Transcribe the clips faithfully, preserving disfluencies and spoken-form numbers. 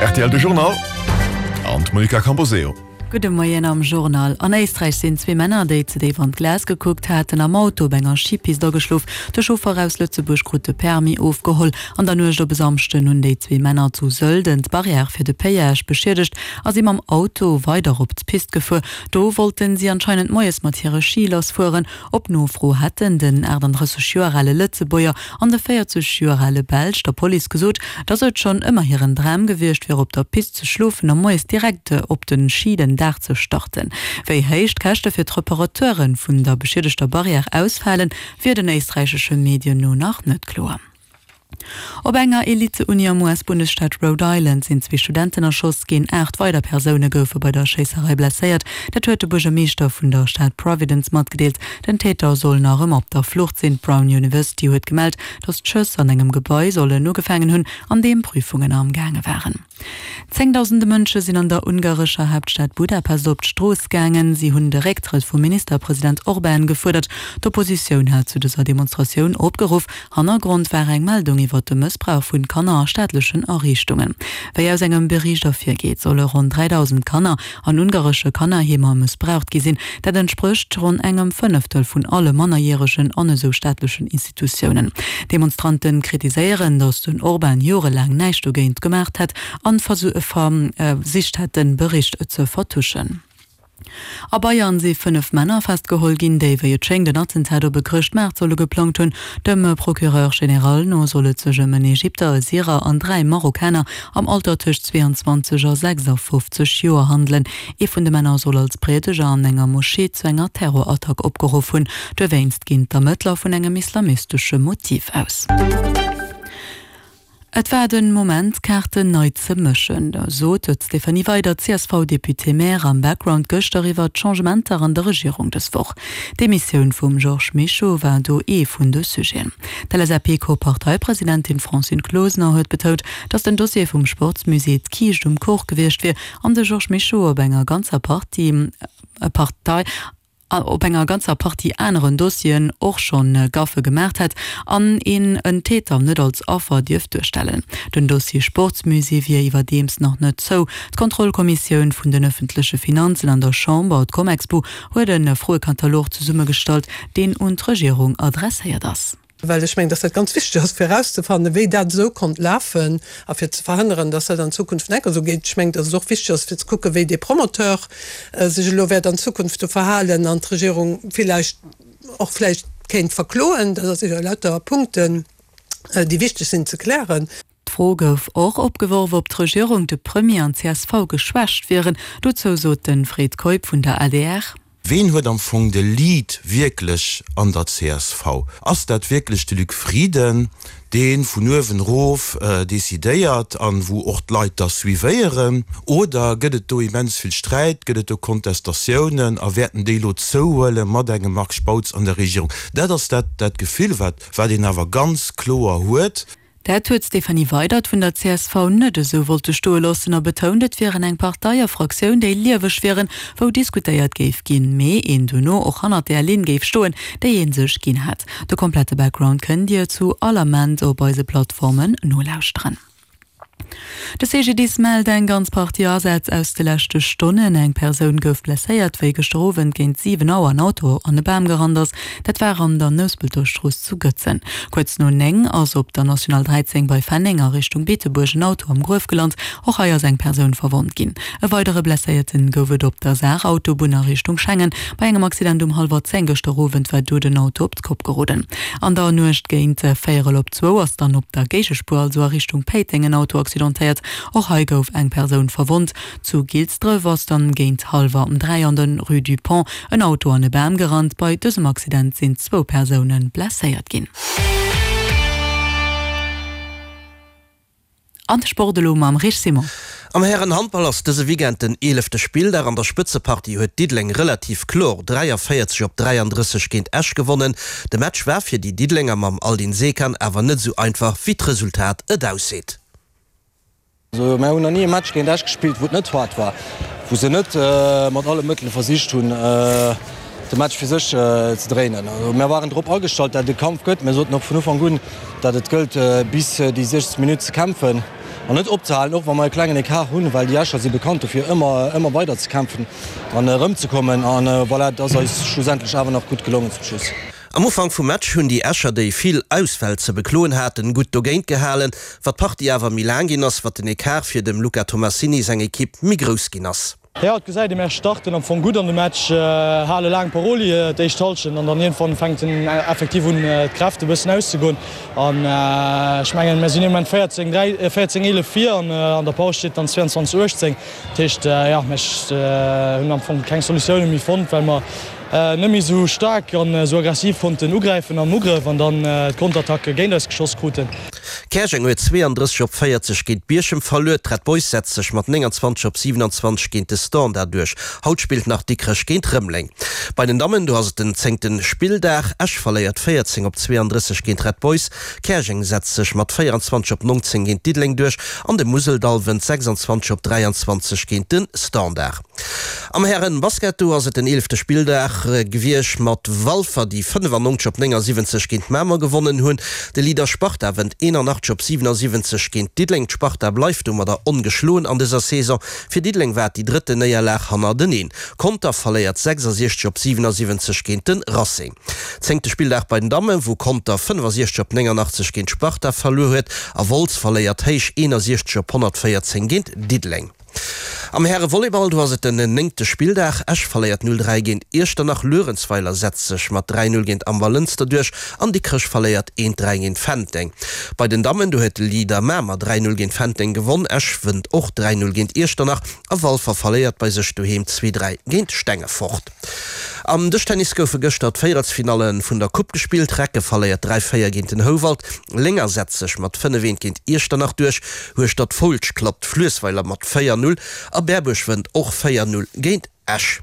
Rtl de Journal an d'Monica Camposeo. Gudde Moien am Journal. An Éisträich sinn zwee Männer, déi ze déif an d'Glas gekuckt haten, am Auto op enger Schipist ageschlof. De Chauffer aus Lëtzebuerg krut de Permis ofgeholl. An der Nuecht op e Samschden hunn déi zwee Männer zu Sölden d'Barrière fir de Péage beschiedegt a si mam Auto weider op d'Pist gefuer. Do wollten si anscheinend moies mat hire Schi lassfueren. Op Nofro hätten den achtandrësseg Joer ale Lëtzebuerger an de véierzeg Joer ale Belsch der Police gesot, dass et schonn ëmmer hiren Dram gewiescht wier, op der Pist ze schlofen a moies direkt op de Schi den Dag ze starten. Wéi héich d'Käschte fir d'Reparateure vun der beschiedegter Barrière ausfalen, wier den éisträichesche Medien no nach net kloer. Op enger Elite-Uni am U S-Bundesstaat Rhode Island sinn zwee Studenten erschoss ginn. Aacht weider Persoune goufe bei der Schéisserei blesséiert. Dat huet de Buergermeeschter vun der Stad Providence matgedeelt. Den Täter soll nach ëmmer op der Flucht sinn. D'Brown University huet gemellt, datt d'Schëss an engem Gebai sollen ugefaangen hunn, an deem Prüfungen amgaange waren. Zéngdausende Mënsche sinn an der ungarescher Haaptstad Budapest op d'Strooss gaangen. Si hunn de Récktrëtt vum Ministerpresident Orbán gefuerdert. D'Oppositioun hat zu dëser Demonstratioun opgeruff. Hannergrond war eng Meldung iwwer de Mëssbrauch vun Kanner a staatlechen Ariichtungen. Wéi aus engem Bericht ervirgeet, solle ronn dräidausend Kanner an ungaresche Kannerheemer mëssbraucht gi sinn. Dat entsprécht ronn engem Fënneftel vun alle Mannerjäregen an esou staatlechen Institutiounen. D'Demonstrante kritiséieren, datt den Orbán jorelaang näischt dogéint gemaacht hätt an versicht hätt, de Bericht ze vertuschen. A Bayern si fënnef Männer festgeholl ginn, déi wéi et schéngt en Attentat op e Chrëschtmaart solle geplangt hunn. Dem Procureur général no soll et sech ëm en Ägypter, e Syrer an dräi Marokkaner am Alter tëscht zweeanzwanzeg a sechsafofzeg Joer handelen. Ee vun de Männer soll als Priedeger an enger Moschee zu enger Terrorattack opgeruff hunn. Dowéinst ginn d'Ermëttler vun engem islamistesche Motiv aus. Et war den Moment, d'Kaarten nei ze mëschen, sot d'Stéphanie Weydert, C S V-Député-Maire, am Background gëschter iwwer d'Changementer an der Regierung dës Woch. D'Demissioun vum Georges Mischo war do ee vun de Sujeten. D'L S A P-Co-Parteipresidentin Francine Closener huet betount, datt den Dossier vum Sportsmusée d'Kiischt um Kuch gewiescht wier an de Georges Mischo op enger ganzer Partie Partei op enger ganzer Partie aneren Dossieren och schonn Gaffe gemaacht hätt an een en Täter net als Affer dierft duerstellen. Den Dossier Sportsmusée wier iwwerdeems nach net zou. D'Kontrollkommissioun vun den ëffentleche Finanzen an der Chamber, d'Comexbu, huet e Froekatalog zesummegestallt, deen un d'Regierung adresséiert ass. Well ech mengen, dass dat ganz wichteg ass, fir erauszefannen, wéi dat esou konnt lafen a fir ze verhënneren, dass dat an Zukunft net esou geet. Ech mengen, dass et och wichteg ass, fir ze kucken, wéi dee Promoteur sech elo wäert an Zukunft do verhalen an d'Regierung villäicht och vläicht kéint verkloen. Dat ass sécher lauter Punkten, déi wichteg sinn ze klären. D'Fro gouf och opgeworf, ob d'Regierung, de Premier an d'C S V geschwächt wieren. Dozou sot de Fred Keup vun der A D R: Ween huet am Fong de Lead wierklech an der C S V? Ass dat wierklech de Luc Frieden, dee vun uewen erof decidéiert an wou och d'Leit da suivéieren? Oder gëtt et do immens vill Sträit, gëtt et do Kontestatiounen a wäerten déi elo zouhuele mat engem Marc Spautz an der Regierung? Dat ass dat dat Gefill, wat wat een awer ganz kloer huet. Dat huet d'Stéphanie Weydert vun der C S V net esou wollte stoe loossen a betount, et wieren eng Partei a Fraktioun, déi lieweg wieren, wou diskutéiert géif ginn, mee een dono och hannert där Linn géif stoen, déi ee sech ginn hätt. De komplette Background kënnt Dir zu all Ament op eise Plattformen nolauschteren. De C G D I S mellt eng ganz Partie Asätz aus de leschte Stonnen. Eng Persoun gouf blesséiert, wéi gëschter Owend géint siwen Auer en Auto an e Bam gerannt ass. Dat war an der Nouspelter Strooss zu Gëtzen. Kuerz no néng ass op der National dräizéng bei Fenneng a Richtung Beetebuerg en Auto am Gruef gelant. Och hei ass eng Persoun verwonnt ginn. E weidere Blesséierten gouf et op der Saarautobunn a Richtung Schengen. Bei engem Accident um hallwer zéng gëschter Owend war do den Auto op d'Kopp geroden. An der Nuecht géint véierel op zwou ass dann op der Géigespuer, also a Richtung Péiteng, en Auto accidentéiert. Och hei gouf eng Persoun verwonnt. Zu Gilsdref ass dann géint hallwer dräi an der Rue du Pont en Auto an e Bam gerannt. Bei dësem Accident sinn zwou Persoune blesséiert ginn. An de Sport elo mam Rich Simon. Am Hären-Handball ass dëse Weekend den eelefte Spilldag. An der Spëtzepartie huet Diddeleng relativ kloer dräiavéierzeg op dräiandrësseg géint Esch gewonnen. De Match war fir déi Diddelenger mam Aldin Sekan awer net esou einfach, wéi d'Resultat et ausseet. Also mir hunn nach ni e Match géint Esch gespillt, wou et net haart war, wou se net mat alle Mëttele versicht hunn, de Match fir sech ze dréinen. Also mir waren drop agestallt, dat et e Kampf gëtt. Mir soten och vun Ufank un, dat et gëllt, bis déi siechzeg Minutt ze kämpfen. an net opzehalen, och wa mer e klengen Ecart hunn, well déi Escher si bekannt dofir, ëmmer, ëmmer weider ze kämpfen an erëmzekommen. An voilà, et ass eis schlussendlech awer nach gutt gelongen zum Schluss. Am Ufank vum Match hunn déi Escher, déi vill Ausfäll ze bekloen haten, gutt dogéint gehalen. Wat d'Partie awer méi laang ginn ass, wat den Ecart fir dem Luca Tomassini seng Ekipp méi grouss ginn ass. Jo, et gesäit ee, mär starten am Fong gutt an de Match, hale laang Paroli d'éischt Hallschent an dann iergendwann fänkt en effektiv un d'Kräft e bëssen auszegoen. An ech mengen, mär sinn ee Moment véierzéng dräi, véierzéng eelef vir an an der Paus steet dann zwéianzwanzeg uechtzéng. Dat heescht, jo, mär hunn am Fong keng Solutioune méi fonnt, well mer net méi esou staark an esou aggressiv konnten ugräifen am Ugrëff an dann d'Konterattacke géint eis geschoss kruten. Käerjeng huet zweeëndrësseg op véierzeg géint Bierchem verluer. D'Red Boys setzt sech mat nénganzwanzeg op siwenanzwanzeg géint de Standard duerch. Haut spillt nach Dikrech géint Rëmeleng. Bei den Dammen, do ass et den zéngte Spilldag. Esch verléiert véierzéng op zweeëndrësseg géint Red Boys. Käerjeng setzt sech mat véieranzwanzeg op nongzéng géint Diddeleng duerch an de Museldall wënnt sechsanzwanzeg op dräianzwanzeg géint de Standard. Am Hären-Basket, do ass et den eelefte Spilldag gewiescht mat Walfer, déi fënnefannonzeg op néngasiwwenzeg géint Mamer gewonnen hunn. De Leader Sparta wënnt eenanachtzeg op siwenasiwwenzeg géint Diddeleng. D'Sparta bleift domadder ongeschloen an dëser Saison. Fir Diddeleng war et déi drëtten Néierlag hannerteneen. Conter verléiert sechsasiechzeg op siwenasiwwenzeg géint de Racing. Zéngte Spilldag bei den Dammen, wou Conter fënnefasiechzeg op néngannachtzeg géint d'Sparta verluer huet a Wolz verléiert héich eenasiechzeg op honnertvéierzéng géint Diddeleng. Am Häre-Volleyball, do ass et den néngte Spilldag. Esch verléiert null dräi géint Iechternach, Luerenzweiler setzt sech mat dräi null géint Amber-Lënster duerch an Dikrech verléiert eent dräi géint Fenteng. Bei den Dammen, do huet de Leader Mamer dräi null géint Fenteng gewonn, Esch wënnt och dräi null géint Iechternach a Walfer verléiert bei sech doheem zwee dräi géint Stengefort. Am Dëschtennis goufe gëschter d'Véierelsfinalle vun der Coupe gespillt. Recke verléiert dräi véier géint den Houwald, Lénger setzt sech mat fënnef eent géint Iechternach duerch, Hueschtert-Foulsch klappt Fluessweiler mat véier null a Berbuerg wënnt och véier null géint Esch.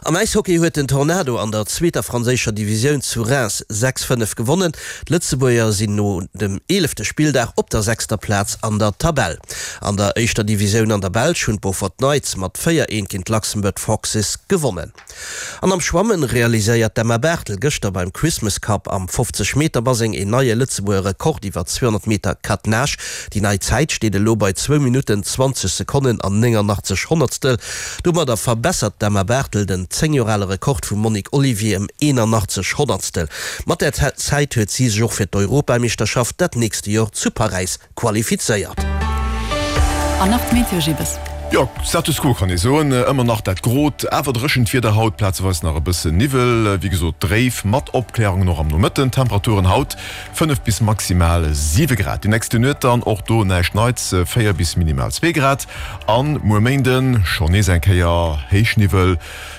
Am Äishockey huet den Tornado an der zweeter franséischer Divisioun zu Reims sechs fënnef gewonnen. D'Lëtzebuerger sinn no dem eelefte Spilldag op der sechster Plaz an der Tabell. An der éischter Divisioun an der Belsch hunn d'Beaufort Knights mat véier eent géint d'Luxembourg Foxes gewonnen. An am Schwammen realiséiert d'Emma Barthel gëschter beim Christmas Cup am fofzeg Meter Baseng een neie Lëtzebuerger Rekord iwwer zweehonnert Meter Quatre Nage. Déi nei Zäit steet elo bei zwou Minutten, zwanzeg Sekonnen an néngannachtzeg Honnertstel. Domadder verbessert d'Emma Barthel den zéng Joer ale Rekord vum Monique Olivier ëm eenannachtzeg Honnertstel. Mat där Zäit huet si sech och fir d'Europameeschterschaft dat nächste Joer zu Paräis qualifizéiert. An nach d'Meteo Gibbes. Jo, Status quo kann ee soen. Ëmmer nach dat grot, awer dréchent Wieder haut, plazeweis nach e bëssen Niwwel, wéi gesot dréif mat Opklärungen och am Nomëtten. Temperaturen haut fënnef bis maximal siwe Grad. Déi nächste Nuet dann och do näischt Neits, véier bis minimal zwee Grad. An muer Méinden schonn nees eng Kéier Héichniwwel,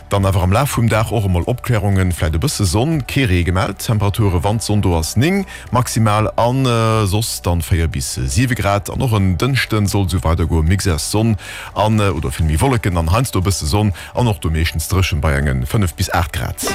dann awer am Laf vum Dag och emol Opklärungen, vläit e bësse Sonn, kee Ree gemellt. Temperature wann d'Sonn do ass néng maximal an soss dann véier bis siwe Grad. An och en Dënschden soll esou weidergoen, Mix aus Sonn an oder vill méi Wolleken an heiansdo e bësse Sonn an och do meeschtens dréchen bei engen fënnef bis aacht Grad.